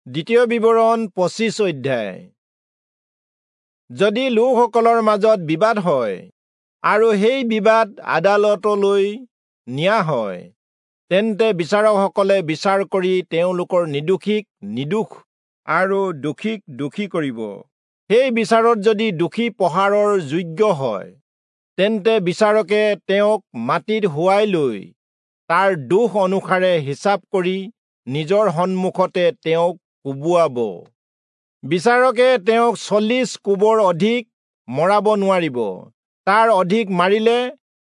দ্বিতীয় বিৱৰণ 25 অধ্যায়। যদি লোকসকলৰ মাজত বিবাদ হয় আৰু সেই বিবাদ আদালতলৈ নিয়া হয়, তেন্তে বিচাৰকসকলে বিচাৰ কৰি তেওঁলোকৰ নিৰ্দোষীক নিৰ্দোষ আৰু দোষীক দোষী কৰিব। সেই বিচাৰত যদি দোষী প্ৰহাৰৰ যোগ্য হয়, তেন্তে বিচাৰকে তেওঁক মাটিত শুৱাই লৈ তাৰ দোষ অনুসাৰে হিচাপ কৰি নিজৰ সন্মুখতে তেওঁক কোবোৱাব। বিচাৰকে তেওঁক 40 কোবৰ অধিক মৰাব নোৱাৰিব। তাৰ অধিক মাৰিলে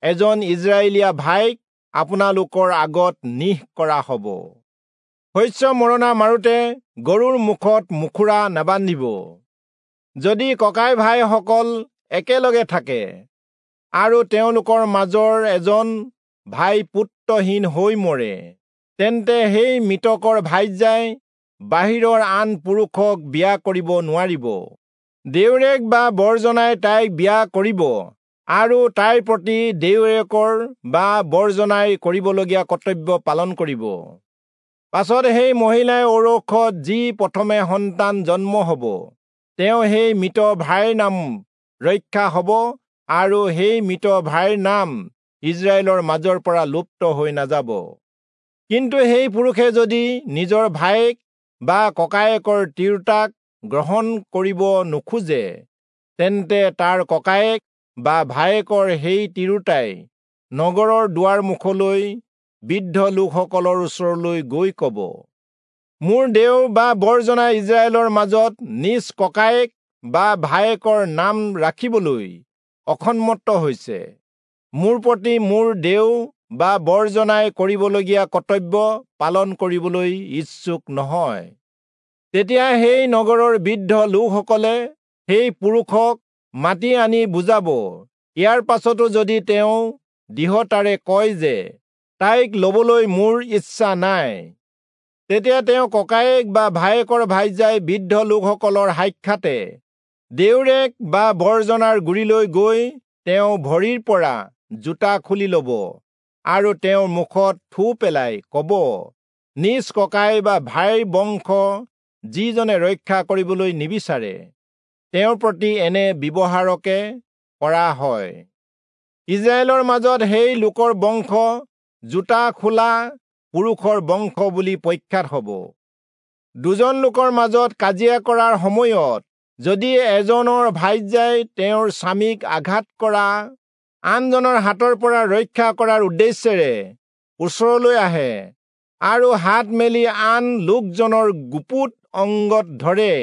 এজন ইজৰাইলীয়া ভাইক আপোনালোকৰ আগত নিহ কৰা হ'ব। শস্য মৰণা মাৰোতে গৰুৰ মুখত মুখুৰা নাবান্ধিব। যদি ককাই ভাইসকল একেলগে থাকে আৰু তেওঁলোকৰ মাজৰ এজন ভাই পুত্ৰহীন হৈ মৰে, তেন্তে সেই মৃতকৰ ভাৰ্যাই বাহিৰৰ আন পুৰুষক বিয়া কৰিব নোৱাৰিব। দেউৰেক বা বৰজনাই তাইক বিয়া কৰিব আৰু তাইৰ প্ৰতি দেউৰেকৰ বা বৰজনাই কৰিবলগীয়া কৰ্তব্য পালন কৰিব। পাছত সেই মহিলাই ঔৰসত যি প্ৰথমে সন্তান জন্ম হ'ব, তেওঁ সেই মৃত ভাইৰ নাম ৰক্ষা হ'ব আৰু সেই মৃত ভাইৰ নাম ইজৰাইলৰ মাজৰ পৰা লুপ্ত হৈ নাযাব। কিন্তু সেই পুৰুষে যদি নিজৰ ভায়েক বা ককায়েকৰ তিৰোতাক গ্ৰহণ কৰিব নোখোজে, তেন্তে তাৰ ককায়েক বা ভায়েকৰ সেই তিৰোতাই নগৰৰ দুৱাৰ মুখলৈ বৃদ্ধ লোকসকলৰ ওচৰলৈ গৈ ক'ব, মোৰ দেও বা বৰজনাই ইজৰাইলৰ মাজত নিজ ককায়েক বা ভায়েকৰ নাম ৰাখিবলৈ অসন্মত হৈছে। মোৰ প্ৰতি মোৰ দেও বা বৰজনাই কৰিবলগীয়া কৰ্তব্য পালন কৰিবলৈ ইচ্ছুক নহয়। তেতিয়া সেই নগৰৰ বৃদ্ধ লোকসকলে সেই পুৰুষক মাতি আনি বুজাব। ইয়াৰ পাছতো যদি তেওঁ দৃঢ়তাৰে কয় যে তাইক ল'বলৈ মোৰ ইচ্ছা নাই, তেতিয়া তেওঁ ককায়েক বা ভায়েকৰ ভাৰ্যাই বৃদ্ধ লোকসকলৰ সাক্ষাতে দেউৰেক বা বৰজনাৰ গুৰিলৈ গৈ তেওঁ ভৰিৰ পৰা জোতা খুলি ল'ব আৰু তেওঁৰ মুখত থু পেলাই ক'ব, নিজ ককাই বা ভাইৰ বংশ যিজনে ৰক্ষা কৰিবলৈ নিবিচাৰে, তেওঁৰ প্ৰতি এনে ব্যৱহাৰকে কৰা হয়। ইজৰাইলৰ মাজত সেই লোকৰ বংশ জোতা খোলা পুৰুষৰ বংশ বুলি প্ৰখ্যাত হ'ব। দুজন লোকৰ মাজত কাজিয়া কৰাৰ সময়ত যদি এজনৰ ভাৰ্যাই তেওঁৰ স্বামীক আঘাত কৰা আনজনৰ হাতৰ পৰা ৰক্ষা কৰাৰ উদ্দেশ্যেৰে ওচৰলৈ আহে আৰু হাত মেলি আন লোকজনৰ গুপুত অংগত ধৰে,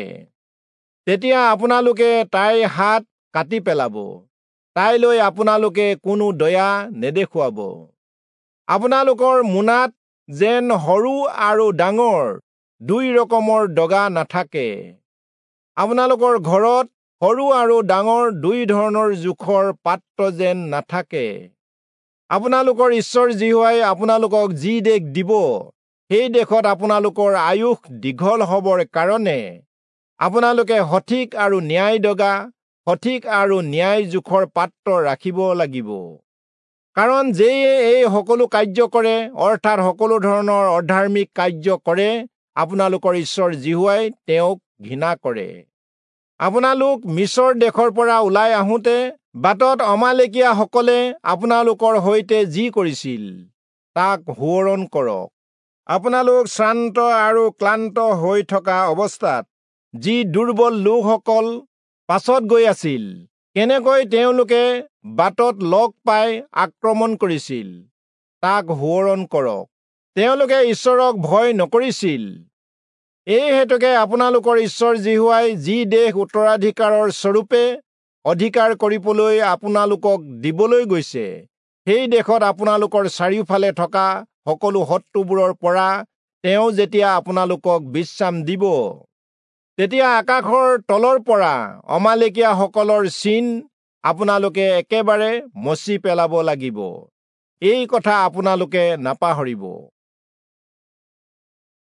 তেতিয়া আপোনালোকে তাইৰ হাত কাটি পেলাব। তাইলৈ আপোনালোকে কোনো দয়া নেদেখুৱাব। আপোনালোকৰ মোনাত যেন সৰু আৰু ডাঙৰ দুই ৰকমৰ দগা নাথাকে। আপোনালোকৰ ঘৰত সৰু আৰু ডাঙৰ দুই ধৰণৰ জোখৰ পাত্ৰ যেন নাথাকে। আপোনালোকৰ ঈশ্বৰ যিহোৱাই আপোনালোকক যি দেশ দিব, সেই দেশত আপোনালোকৰ আয়ুস দীঘল হ'বৰ কাৰণে আপোনালোকে সঠিক আৰু ন্যায় দগা, সঠিক আৰু ন্যায় জোখৰ পাত্ৰ ৰাখিব লাগিব। কাৰণ যিয়ে এই সকলো কাৰ্য কৰে, অৰ্থাৎ সকলো ধৰণৰ অধাৰ্মিক কাৰ্য কৰে, আপোনালোকৰ ঈশ্বৰ যিহোৱাই তেওঁক ঘৃণা কৰে। আপোনালোক মিচৰ দেশৰ পৰা ওলাই আহোঁতে বাটত অমালেকীয়াসকলে আপোনালোকৰ সৈতে যি কৰিছিল তাক সোঁৱৰণ কৰক। আপোনালোক শ্ৰান্ত আৰু ক্লান্ত হৈ থকা অৱস্থাত যি দুৰ্বল লোকসকল পাছত গৈ আছিল, কেনেকৈ তেওঁলোকে বাটত লগ পাই আক্ৰমণ কৰিছিল তাক সোঁৱৰণ কৰক। তেওঁলোকে ঈশ্বৰক ভয় নকৰিছিল। এই হেতুকে আপোনালোকৰ ঈশ্বৰ যিহোৱাই যি দেশ উত্তৰাধিকাৰৰ স্বৰূপে অধিকাৰ কৰিবলৈ আপোনালোকক দিবলৈ গৈছে, সেই দেশত আপোনালোকৰ চাৰিওফালে থকা সকলো শত্ৰুবোৰৰ পৰা তেওঁ যেতিয়া আপোনালোকক বিশ্ৰাম দিব, তেতিয়া আকাশৰ তলৰ পৰা অমালেকীয়াসকলৰ চিন আপোনালোকে একেবাৰে মচি পেলাব লাগিব। এই কথা আপোনালোকে নাপাহৰিব।